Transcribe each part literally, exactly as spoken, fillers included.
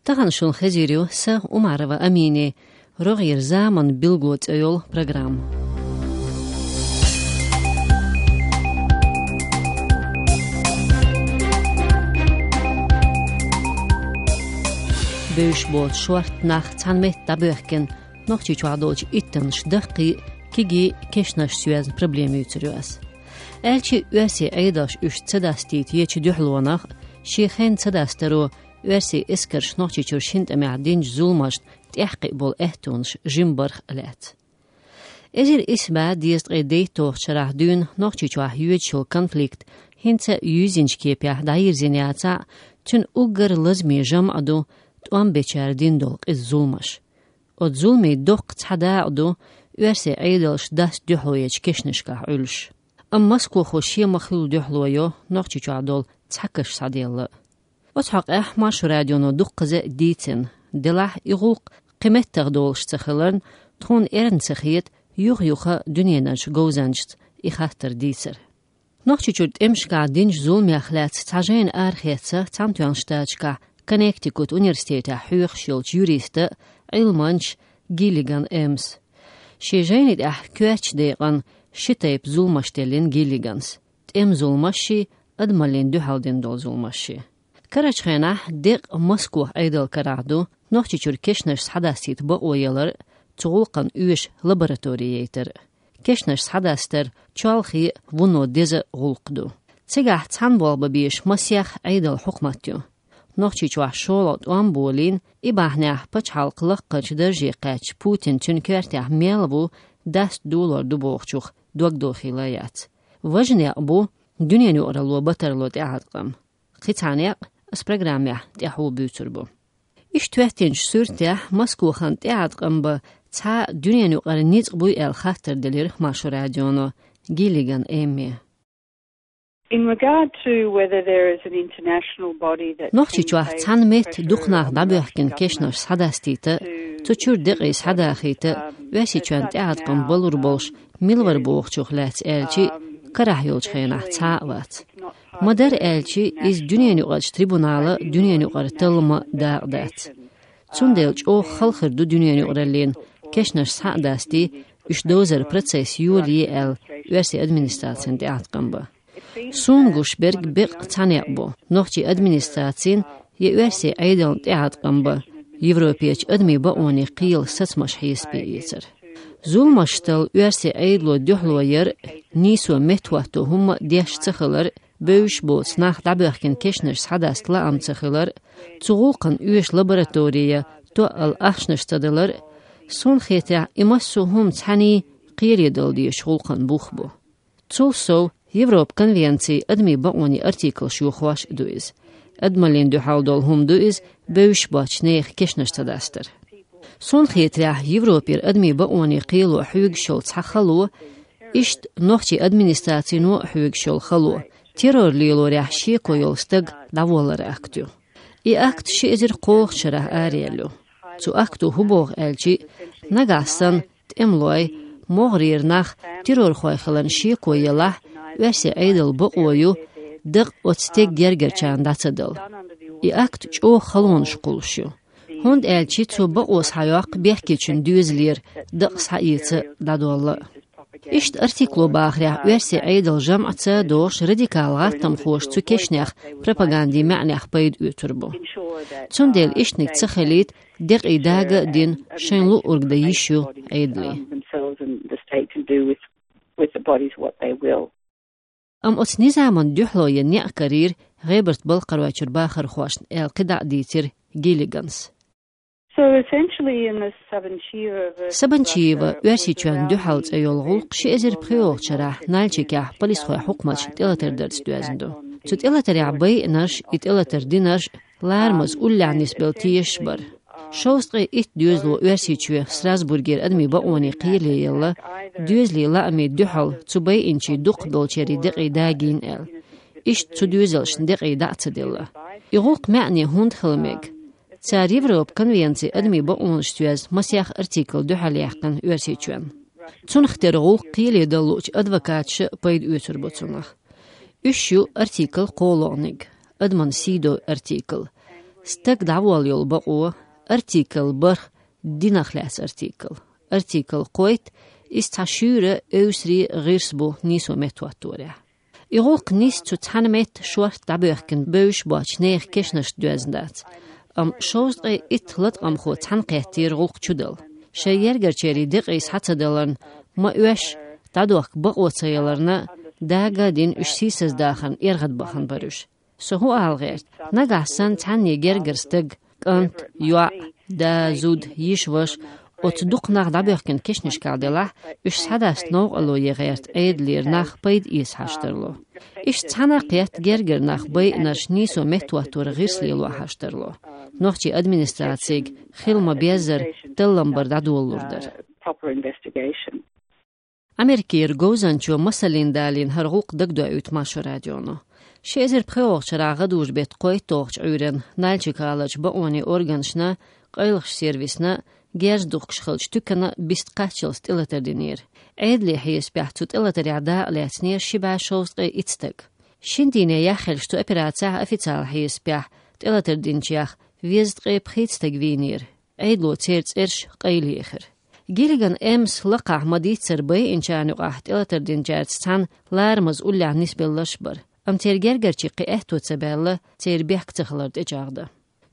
Тахан шун хезир ю са, Умарова Амини, «РогӀера заман билгало» цӀе йола программа. Бевзаш боцу шорта нах цхьана метта дӀабоьхкина, Нохчийчохь долчу иттаннаш даккхий, кегий кешнашца йоьзна проблема юьйцур ю ас. Аьлча а, оьрсийн Ӏедалша уьш ца дастийта ечу дуьхьалонах, шен хенна ца дастаро, оьрсийн эскарша Нохчийчуьра шина тӀамехь динчу зуламашна тӀехь кхиъна болу аьттонаш жима барх а лаьцна. Эзар исс бӀе дезткъе дейтталгӀачу шарахь дуьйна Нохчийчохь йоьдуш йолу конфликт хӀинца а юьззинчу кепехь дӀайирзина яцахь а, цуьнан уггар лазаме жамӀ ду тӀом бечара дина долу къиза зуламаш. Оцу зуламийн доккха цхьа дакъа ду оьрсийн Ӏедалша даста дуьхьало ечу кешнашкахь Ӏуьллуш. Амма Москохо шен ма-хуьллу дуьхьало йо Нохчийчохь долу цхьа каш схьаделла а. Оцу хьокъехь Маршо радионо дуккхаза а дийцина, делахь и гӀуллакх кхин меттах долуш ца хиларна, тхуна эрна ца хета юха-юха дуьненарчу говзанчашца и хаттар дийцар. Нохчийчуьра тӀемашкахь динчу зуламех лаьцна цхьа жайна арахецна Цхьаьнатоьхначу Штаташкахь Коннектикут университетехь хьоьхуш йолчу юриста, Ӏилманча Гиллиган Эммас. Шен жайни тӀехь коьртачу декъана ши тайпа зуламаш теллина Гиллиганс: тӀеман зуламашший, адамаллина дуьхьал дина долу зуламашший. Карарчу хенахь декъа Москох Ӏедал карахь ду Нохчийчуьра кешнаш схьадастийта бакъо ялар а, цу гӀуллакхна оьшу лаборатори яйтар а. Кешнаш схьадастар чолхе а, вуно деза а гӀуллакх ду. Цигахь цхьаьна болх бан безаш масех Ӏедалан хьукмат ю. Нохчийчохь шолгӀа тӀом болийна, и бахьанехь пачхьалкхан лакхарчу дарже кхаьчча Путин цуьнан коьртехь мел ву, даста долор ду бохучух дог дохийла яц. Важа некъ бу дуьненан юкъаралло батарло тӀеӀаткъам. Кхин цхьа некъ ас программехь тӀаьхьо буьйцур бу. Иштта хӀоьттинчу суьртехь Москохан тӀеӀаткъам бан цхьа дуьненан юкъара ницкъ буй аьлла хаттар делира Маршо радионо Гиллиган Эмме. In regard to whether there is an international body that Нохчийчохь цхьана метта дукха нах дӀабоьхкина кешнаш схьадастийта, цу чуьра декъий схьадахийта, Оьрсийчоьнна тӀеӀаткъам балур болуш мила вара бохучух лаьцна аьлчи, карахь йолчу хенахь цхьа а вац. Ма-дарра аьлчи, иза дуьненан юкъарчу трибунала дуьненан юкъара таллама дакъа дац. Цундела чӀогӀа хала хир ду дуьненан юкъараллина, кешнаш схьа а дастий, уьш довзаран процесс йолае аьлла, оьрсийн администрацин тӀеӀаткъам бан. Суна гуш берг беккъа цхьа некъ бу нохчийн администрацин я оьрсийн Ӏедалан тӀеӀаткъам бан Европерчу адамийн бакъонийн кхелан сацамаш хьесапе эцар. Зуламашца оьрсийн Ӏедало дуьхьало яр а, нийсо меттахӀотто хӀумма а деш ца хилар а, бевзаш боцу нах дӀабоьхкина кешнаш схьадаста лаам ца хилар а, цу гӀуллакхна оьшу лаборатори я тоъал ахчанаш ца далар а, суна хетарехь, и массо а хӀума цхьаьний кхеле дала дезачу гӀуллакхан бух бу. Цул сов, Европан конвенцин адамийн бакъонийн артиклаш йохош а ду иза. Адамаллина дуьхьал долу хӀума ду иза, бевзаш боцчу нехан кешнаш ца дастар. Суна хетарехь, Европера адамийн бакъонийн кхело хьоьгуш йолу цхьа хало, иштта нохчийн администрацино а хьоьгуш йолу хало, террор лелорехь шеко йолу стаг дӀаволларан акт ю. И акт ши эзар кхоалгӀачу шарахь араелла ю. Цу акто хӀун боху аьлчи, нагахь санна тӀемалой, могӀарера нах террорхой хиларна шеко елахь, оьрсийн Ӏедалан бакъо ю дакъа оцу стеган гергарчарна дӀа ца дала. И акт чӀогӀа халонаш кхуллуш ю, хӀунда аьлча цо бакъо схьайоккху бехкечун доьзалера дакъа схьаэца дӀадолла а. Иштта артикло бахарехь, оьрсийн Ӏедалан жамӀаца догӀуш радикал гӀаттамхоша цу кешнех пропагандин маьӀнех пайда оьцур бу. Цундела иштаниг ца хилийта, декъий дага а дина, шайн луург дан йиш ю Ӏедалан. Themselves and the state can do with, with the bodies what they will. Амма оцу низаман дуьхьало ян некъ карийра ГӀебарта-Балкхаройчуьра бахархошна аьлла кхидӀа а дийцира Гиллиганс. So essentially in the Sabancheva versus Сабанчиева Russia Оьрсийчоьнна дуьхьал цӀе йолу гӀуллакх ши эзар пхоьалгӀачу шарахь Нальчикехь полисхойн хьукматаш тӀелатар дарца доьзна ду. Цу тӀелатарехь байинарш, и тӀелатар динарш ларамаза уллехь нисбелла тешаш бара. Шовзткъе итт доьзало Оьрсийчоь Страсбургера адамийн бакъонийн кхеле елла, доьзалийн лаамийн дуьхьал цу байинчийн дукхахболчеран декъий дагийна аьлла. Иштта цу доьзалшна декъий дӀа а ца делла. И гӀуллакх маьӀне хӀунда хила мега? Цара Европан конвенцин адамийн бакъонашца йоьзна масех артикл дуьхьал яьккхина Оьрсийчоьнна. Цунах тера гӀуллакх кхеле дала луучу адвокаташа пайда оьцур бу цунах. Уьш ю артикл кхоалгӀаниг, адаман сий дойу артикл. Стаг дӀаволла йолу бакъо, артикл барх, динах лаьцна артикл. Артикл кхойтта, иза цхьа шуьйра, эвсаре гӀирс бу нийсо меттахӀотторехь. И гӀуллакх нисса цу цхьана метта шортта дӀабоьхкина бевзаш боцчу нехан кешнашца доьзна дац. Амма шовзткъе итт латкъамхо цхьаьна кхеттера гӀуллакх чудала. Шайн гергарчеран декъий схьа ца даларна, ма оьшшу, дӀадохка бакъо ца яларна, дага а дина, уьш сийсаздахарна эргӀадбахана бара уьш. Со хӀун ала гӀерта, нагахь санна цхьанне гергара стаг, кӀант, йоӀ, да, зуда, йиша, ваша, оцу дукха нах дӀабоьхкина кешнашкахь делахь, уьш схьадаста новкъарло ян гӀерта Ӏедалера нах пайда эца хьажа тарло. Иштта цхьаьна кхетта гергара нах байинарш нийсо меттахӀоттор гӀирс лело хьажа тарло. Нохчийн администрацига хила ма-беззара таллам бар дӀадолалур дара. Proper investigation. Америкера говзанчо масаллин далийна хӀара гӀуллакх дагадоуьйту Маршо радионо. Ши эзар пхоьалгӀачу шарахь гӀадужу-беттан кхойтталгӀачу Ӏуьйранна Нальчик-гӀаларчу бакъонийн органашна, къайлахчу сервисна, герз духкуш хиллачу туькана бист кхаччалц тӀелатар динера. Ӏедалан хьесапехь цу тӀелатарехь дакъа лаьцнера ши бӀе шовзткъе итт стаг. Шина дийне яххьаллаш цу операцехь официалан хьесапехь тӀелатар динчех везткъе пхийтта стаг вийнера. Ӏедало церан цӀераш къайлаехира. Гиллиган Эммас лакхахь ма-дийццара байинчарна юкъахь тӀелатар динчаьрца цхьаьна ларамаза уллехь нисбелларш а бара, амма церан гергарчийн кхин аьтто ца баьлла церан бехк ца хилар тӀечӀагӀдан.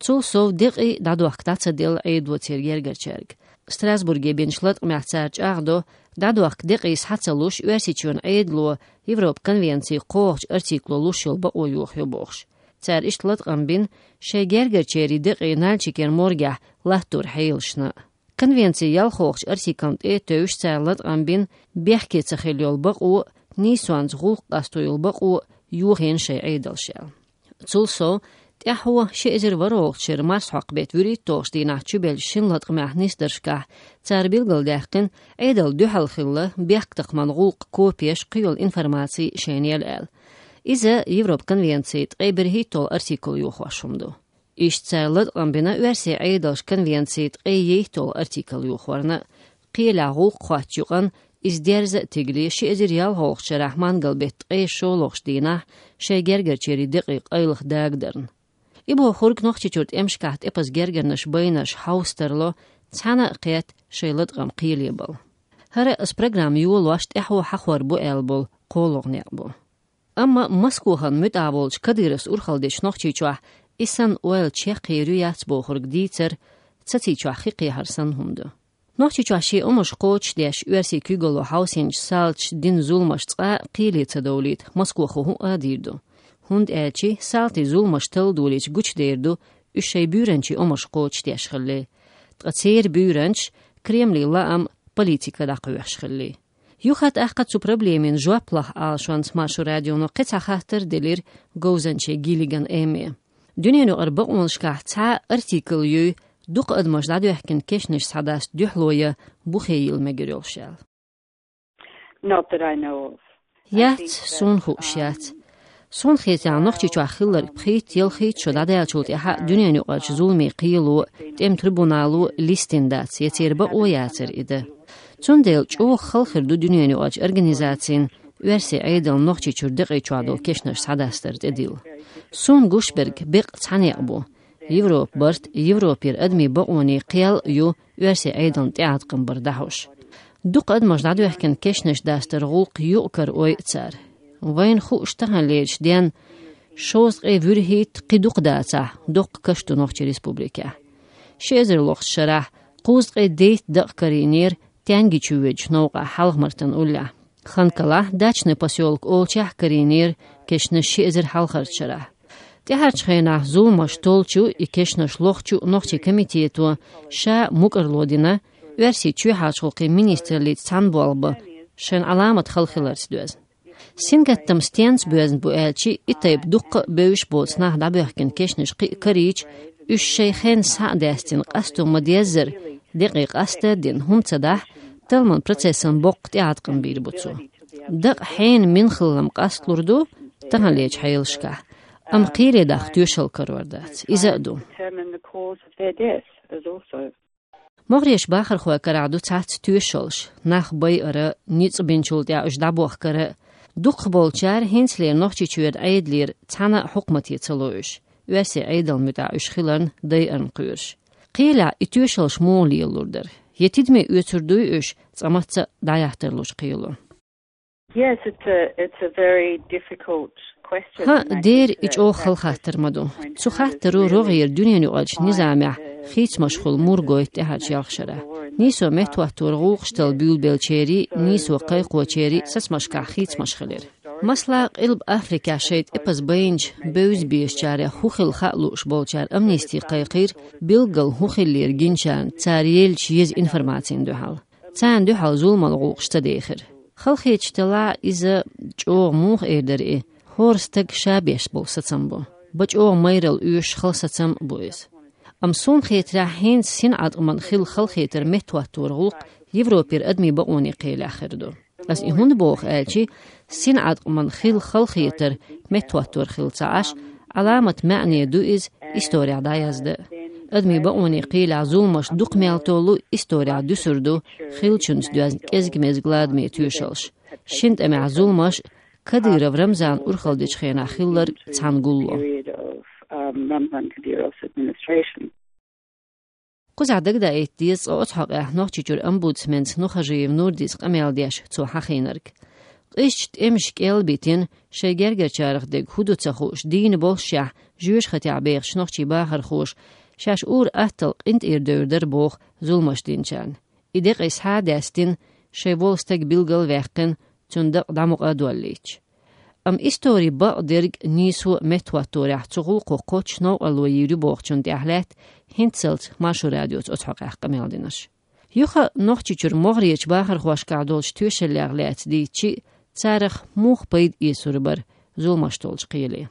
Цул сов декъий дӀадохка дӀа ца делла Ӏедало церан гергарчаьрга. Страсбурге бинчу латкъамехь цара чӀагӀдо, дӀадохка декъий схьа ца луш, Оьрсийчоьнан Ӏедало Европан конвенцин кхоалгӀачу артикло луш йолу бакъо йохайо бохуш. Цара иштта латкъам бина шайн гергарчеран декъий Нальчикера моргехь латтор хьелашна. Конвенцин ялхолгӀачу артиклна тӀе а тевжаш, цара латкъам бина бехке ца хилла йолу бакъо, нийсонца гӀуллакх къасто йолу бакъо йохийна шайн Ӏедалша аьлла. Цул сов, тӀаьхьо ши эзар ворхӀалгӀачу шеран марсхьокху беттан вуьрхӀитталгӀачу дийнахь чубеллачу шина латкъамехь нисдаршкахь цара билгалдаьккхина, Ӏедална дуьхьал хилла бехктакхаман гӀуллакхан копеш кхин йолу информаци шайна яла аьлла. Иза Европан конвенцин ткъе берхӀитталгӀа артикл йохош хӀума ду. Иштта цара латкъам бина оьрсийн Ӏедалша конвенцин ткъе йитталгӀа артикл йохорна, кхелехь гӀуллакх хоттучу юкъана, иза дерза а тигале, ши эзар ялхолгӀачу шарахь мангал беттан ткъе шолгӀачу дийнахь шайн гергарчеран декъий къайлаха дагадарна. И бохург Нохчийчуьра тӀемашкахь тӀепаза гергарнаш байинарш хьовса тарло, цхьаьна а кхетта шайн латкъам кхеле бала. ХӀара а аса программа йолош тӀаьхьо хьахор бу аьлла болу кхоалгӀа некъ бу. Амма Москвахана муьтӀахь волчу Кадыровс урхалла дечу Нохчийчохь и санна ойла чекхъер ю-яц бохург дийцар цацийчохь хи кхехьар санна хӀума ду. Нохчийчохь шен омаш кхочушдеш оьрсийн куьйгалло хьовсийначу салташа дина зуламаш цкъа а кхеле ца довлийта Москвахо хӀуъа а дийр ду. ХӀунда аьлча салтийн зуламаш талла долийча гучудер ду, уьш шайн буьйранчин омаш кхочушдеш хилла. Ткъа церан буьйранчаш Кремлин лаам, политика дӀакхоьхьуш хилла. Юха а тӀаккха цу проблемина жоп лаха алашонца Маршо радионо кхин цхьа хаттар делира говзанче Гиллиган Эмме. Дуьненаюкъара бакъонашкахь цхьа а артикл юй, дукха адамаш дӀадоьхкина кешнаш схьадаста дуьхьало ян бухе йилла мегар йолуш аьлла. Not that I know of. Яц, суна хууш яц. Суна хетарехь, Нохчийчохь хилларг пхийтта-ялхийтта шо дӀадаьллачул тӀаьхьа дуьненаюкъарчу зуламийн кхело, тӀеман трибунало листина дац, я церан бакъо яцара и дан. Цундела чӀогӀа хала хир ду дуьненаюкъарчу организацийн оьрсийн Ӏедална Нохчийчуьра декъий чохь долу кешнаш схьадастар тӀедилла. Суна гуш берг беккъа цхьа некъ бу. Европа барт, Европера адамийн бакъонийн кхел а ю оьрсийн Ӏедална тӀеӀаткъам бар дӀахьош. Дукха адамаш дӀадоьхкина кешнаш дастар гӀуллакх юкъ-кара ойу цара. Вайна хууш таханлерчу денна шовзткъе вуьрхӀитта, кхин дукха дацахь, доккха каш ду Нохчийн Республикехь. Ши эзар лохучу шарахь кхузткъе дейтта дакъа карийнера Тянгичу воьдучу новкъахь Хьалха-Мартан уллехь. Ханкалахь, Дачный посёлок олучехь карийнера кешнаш ши эзар хьалхарчу шарахь. ТӀаьхьарчу хенахь зуламаш толлучу, и кешнаш лохучу нохчийн комитето ша мукӀарло дина, оьрсийн чоьхьарчу гӀуллакхийн министраллица цхьаьна болх бан, шайн Ӏаламат хала хиларца доьзна. Сингаттам стенца боьзна бу аьлча, и тайпа дуккха а бевзаш боцу нах дӀабоьхкина кешнаш кхин а карийча, уьш шайн хенна схьа а даьстина, къасто ма-деззара, декъий къаста а дина, хӀума ца дахь, талламан процессан боккха тӀеӀаткъам бийр бу цо. Дакъа хьенан мин хилла-м къасталур ду таханлерчу хьелашкахь, амма кхеле дахка тоьшалла карор дац. Иза а ду. МогӀарерчу бахархойн карахь ду цхьацца тоьшаллаш, нах байара, ницкъ бинчул тӀаьхьа уьш дӀабохкара. Дукхахболчара хӀинцалера Нохчийчуьра Ӏедалера цхьана а хьукмате ца ло уьш. оьрсийн Ӏедална муьтӀахь уьш хиларна дайарна кхоьруш. Кхелехь и тоьшаллаш муха лелалур дара? Я тидаме оьцур дуй уьш цкъа мацца дӀаяхьийтарлуш кхело? Yes, it's a, it's a very difficult question. ХӀаъ, дера, и чӀогӀа хала хаттар ма ду. Цу хаттаро рогӀера дуьненаюкъарчу низамехь хийцамаш хуьлу мур гойту тӀаьхьарчу ялх шарахь. Нийсо меттахӀоттор гӀуллакхаш талла буьйлабеллачерий, нийсо кхайкхочерий сацамашкахь хийцамаш хилира. Масала, Къилба Африкехь шайн тӀепаза байначу бевза-безачарех хӀун хилла хаа лууш болчара амнисти кхайкхийра, билггал хӀун хиллера гиначарна цара еллачу еза информацина дуьхьал. Царна дуьхьал зуламан гӀуллакхаш ца дехира. Халахеташ делахь, иза чӀогӀа муха эр дара и, хӀора стаг ша беш болу сацам бу. Бан чӀогӀа майралла оьшуш хала сацам а бу иза. Амма суна хетарехь, хӀинца синӀаткъаман хилла халахетар меттахӀоттор гӀуллакх Европера адамийн бакъонийн кхелехь хир ду. Ас и хӀунда боху аьлча, синӀаткъаман хилла халахетар меттахӀоттор хилла ца Ӏаш, Ӏаламат маьӀне ду иза исторехь дӀаяздан. Адамийн бакъонийн кхелехь зуламаш дукха мел толлу исторехь дуьсур ду хиллачуьнца доьзна кӀезиг-мезиг ладаме тоьшаллаш. Шина тӀамехь зуламаш Кадыров Рамзан урхалла дечу хенахь хилларг цхьаьна гулло. Кхузахь дагадаийта деза цкъа оцу хьокъехь Нохчийчуьра омбудсменца Нухажиев Нурдис къамел деш цо хьахийнарг. Къизачу тӀемаша кӀел битина, шайн гергарчарах дерг хӀун ду ца хууш, дийна боллушехь, жоьжахатехь бехачу нохчийн бахархоша шаьш ур-атталла къинтӀера девр дара боху зуламаш динчарна. И декъий схьа а даьстина, шайн волу стаг билгал а ваьккхина, цуьнан дакъа дӀа мукъа а доллийтуш. Амма истори бакъдерг нийсо а меттахӀотторехь цу гӀуллакхо кхоччуш новкъарло йийр ю бохучунна тӀехь лаьтта хӀинццалц Маршо радиоца оцу хьокъехь къамел динарш. Юха а Нохчийчуьра могӀарерчу бахархошкахь долчу тоьшаллех лаьцна дийцича, царах муха пайда эцур бара зуламаш толлучу кхеле?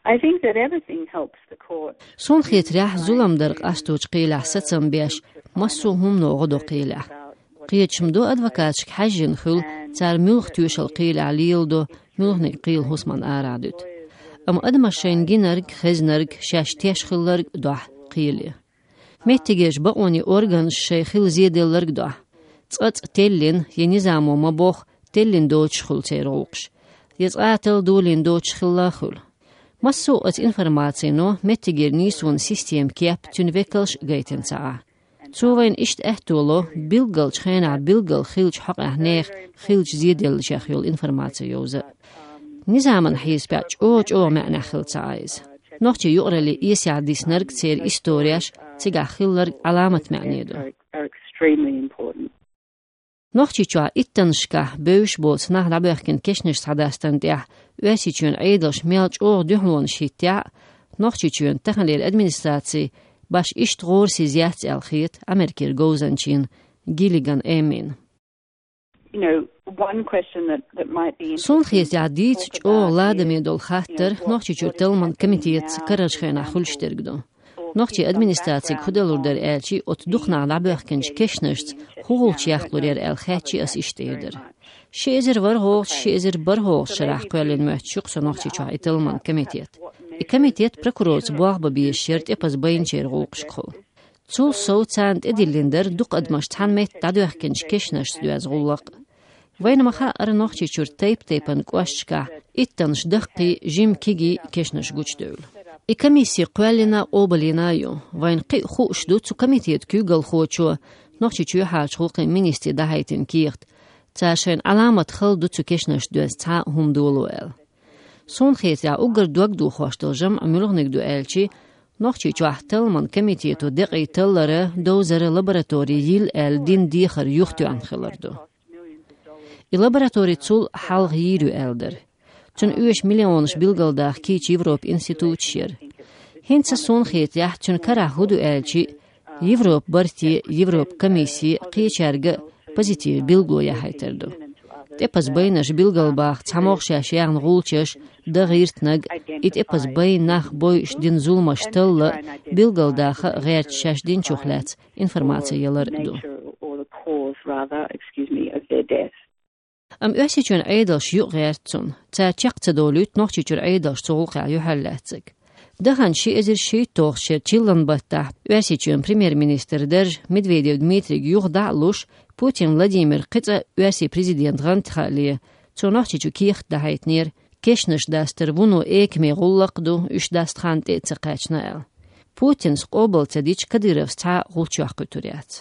I think that everything helps the court. Суна хетарехь, зулам дар къасточу кхелехь сацам беш, массо а хӀумано гӀо до кхелехь. Кхеташ ма ду, адвокаташка хьаьжжина хуьлу, цара муьлха тоьшалла кхелехь леладо, муьлханиг кхелан хӀусамна арахь дуьту. Амма адамаш шайна гинарг, хезнарг, шаьш теш хилларг дохьу кхеле. Меттигерчу бакъонийн органаша шайн хилла зеделларг дохьу. Цкъацкъа теллина, я низамо ма-бохху, теллина доцуш хуьлу церан гӀуллакхаш, я цкъа а талла долийна доцуш хилла а хуьлу. Массо а оцу информацино меттигера нийсонан системан кеп, цуьнан векалш а гайтина ца Ӏа. Цо вайна иштта аьтто ло, билггалчу хенахь билггал хиллачу хьокъехь нехан хиллачу зеделлашех йолу информаци йовза а. Низаман хьесапехь чӀогӀа-чӀогӀа маьӀнехь хилла ца Ӏа иза. Нохчийн юкъараллин эсехь диснарг, церан истореш, цигахь хилларг Ӏаламат маьӀне ду. Are extremely important. Нохчийчохь иттаннашкахь бевзаш боцу нах дӀабоьхкина кешнаш схьадастарна тӀехь Оьрсийчоьнан Ӏедалша мел чӀогӀа дуьхьалонаш хӀиттехь а, Нохчийчоьнан таханлера администраци башха иштта гӀорасиз яц аьлла хета Америкера говзанчийн Гиллиган Эммина. You know, one question that, that might be interesting. Суна хетарехь, дийца чӀогӀа ладаме долу хаттар Нохчийчуьра талламан комитетца карарчу хенахь хуьлуш дерг ду. Нохчийн администрацига хӀун далур дара аьлча, оцу дукха нах дӀабоьхкинчу кешнашца хӀун гӀулч яккхалур яра аьлла хаьттича, ас иштта эр дара. Ши эзар ворхӀалгӀачу, ши эзар бархӀалгӀачу шарахь кхоьллина моьтту шу-кх со Нохчийчохь и талламан комитет. И комитет прокурорца болх бан безаш яра тӀепаза байначеран гӀуллакхашкахула. Цул сов царна тӀедиллина дара дукха адамаш цхьана метта дӀадоьхкинчу кешнашца доьзна гӀуллакх а. Вайна ма-хаъара, Нохчийчуьра тайп-тайпана кӀошташкахь иттаннаш даккхий, жимма кегий кешнаш гучудевлла. И комисси кхоьллина а, къобалйина а ю. Вайна кхин а хууш ду цу комитетан куьйгалхочо Нохчийчоьнан юьхьарлерчу гӀуллакхийн министе дӀахьайтина кехат. Цара шайна Ӏаламат хала ду цу кешнашца доьзна цхьа а хӀума доло аьлла. Суна хетарехь, уггар догдохош долу жамӀ муьлханиг ду аьлча, Нохчийчохь талламан комитето декъий таллара, довзара лаборатори йилла аьлла дина дехар юхатоьхна хилар ду. И лаборатори цул хьалха йийр ю аьлла дара. Цунна оьшу миллионаш билгалдаха кийча Европан институташ яра. ХӀинца, суна хетарехь, цуьнан карахь хӀун ду аьлча, Европан барте, Европан комиссе кхечаьрга а позитиван билгало яхьийтар ду. ТӀепаза байнарш билгалбаха цхьамогӀа шаьш яьхна гӀулчаш, дан гӀиртинарг, и тӀепаза байна нах бойуш дина зуламаш талла, билгалдаха гӀерташ шаьш динчух лаьцна информаци ялар а ду. Amma Оьрсийчоьнан Ӏедалш юкъагӀерта цунна, цара чекх ца долуьйту Нохчийчуьра Ӏедалш цу гӀуллакхехь юьхьарлаьцнарг. Даханчу ши эзар шийтталгӀачу шеран чиллан баттахь Оьрсийчоьнан премьер-министран дарж Медведев Дмитрийга юха дӀа а луш, Путин Владимира кхин цкъа Оьрсийн президент гӀантий хаале, цо Нохчийчу кехат дахьийтинера, Кешнаш дастар вуно экаме гӀуллакх ду, уьш даста хан тӀе а ца кхаьчна аьлла. Путинс къобал ца дича, Кадыровс цхьа а гӀулч йоккхуьйтур яц.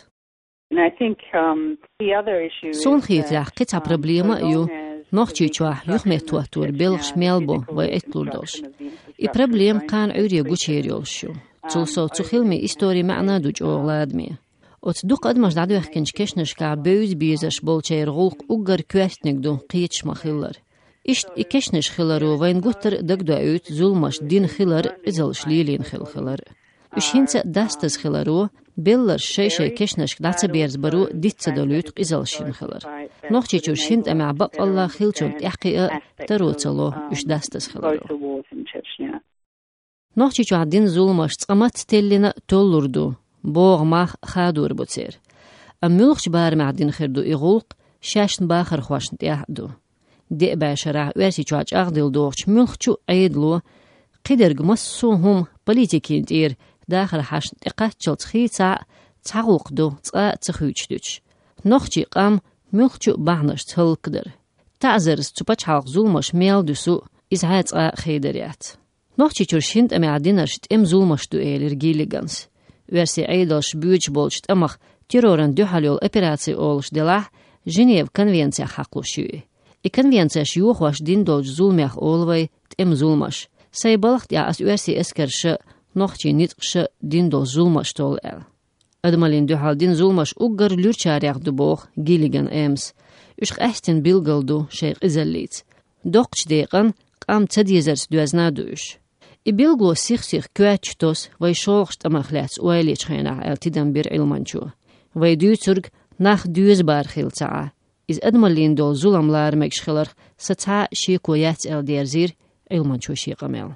And I think, um, the other issue is Суна хетарехь, кхин цхьа проблема а ю, Нохчийчохь юхаметтахӀоттор белхаш мел бу вай Ӏитталур долуш. И проблема кхана Ӏуьйре гучуер йолуш ю. Цул сов, цу хиламийн истори маьӀна а ду чӀогӀа ладаме. Оцу дукха адамаш дӀадоьхкинчу кешнашкахь бевза безаш болчеран гӀуллакх уггар коьртаниг ду кхеташ ма-хиллара. Иштта и кешнаш хиларо вайна гуттар а дагадоуьйту зуламаш дина хилар а, къизаллаш лелийна хилла хилар а. Уьш хӀинца а дастаза хиларо, белларш шай-шай кешнашка дӀа ца берзабаро диц ца долуьйту къизаллаш йина хилар. Нохчийчуьра шина тӀамехь баккъалла хиллачунна тӀаьхьакхиа а таро ца ло уьш дастаза хиларо. Нохчийчохь дина зуламаш цкъа мацца теллина а толлур ду, богӀу мах хадор бу церан. Амма муьлхачу барамехь дина хир ду и гӀуллакх, шаьшна бахархошна тӀехь а ду. Деа бӀешарахь Оьрсийчохь чӀагӀделла догӀучу муьлххачу а Ӏедало, кхидерг массо а хӀума политикийн тӀера дахар хьаьшна тӀекхаччалц хийцахь а, цхьа гӀуллакх ду цкъа а ца хуьйцуш дуьтуш. Нохчийн къам муьлххачу а бахьанашца хӀаллакдар. ТаӀзарца цу пачхьалкхан зуламаш мел дуьсу, иза хьа цкъа а хедар яц. Нохчийчуьра шина тӀамехь динарш тӀеман зуламаш ду, элира Гиллиганс. Оьрсийн Ӏедалша боьдуш болчу тӀамах террорна дуьхьал йолу операци олуш делахь, Женеван конвенцех хьакхалуш ю и. И конвенцеш йохош дина долчу зуламех олу вай тӀеман зуламаш. Сайн балха тӀехь аса оьрсийн эскарша, нохчийн ницкъаша дина долу зуламаш толлу аьлла. Адамаллина дуьхьал дина зуламаш уггар луьрачарех ду, боху Гиллиган Эммас. Уьш къаьстина билггал ду шайн къизаллица. Доккхачу декъана къам ца дезарца доьзна а ду уьш. И билгало сих-сиха коьртачу тосу вай шолгӀачу тӀамах лаьцна ойла ечу хенахь, аьлла тидам бира Ӏилманчо. Вай дуьйцург нах доьза бар хилла ца Ӏа. Иза адамаллина долу зулам лара мегаш хиларх сан цхьа а шеко яц, аьлла дерзийра Ӏилманчо шен къамел.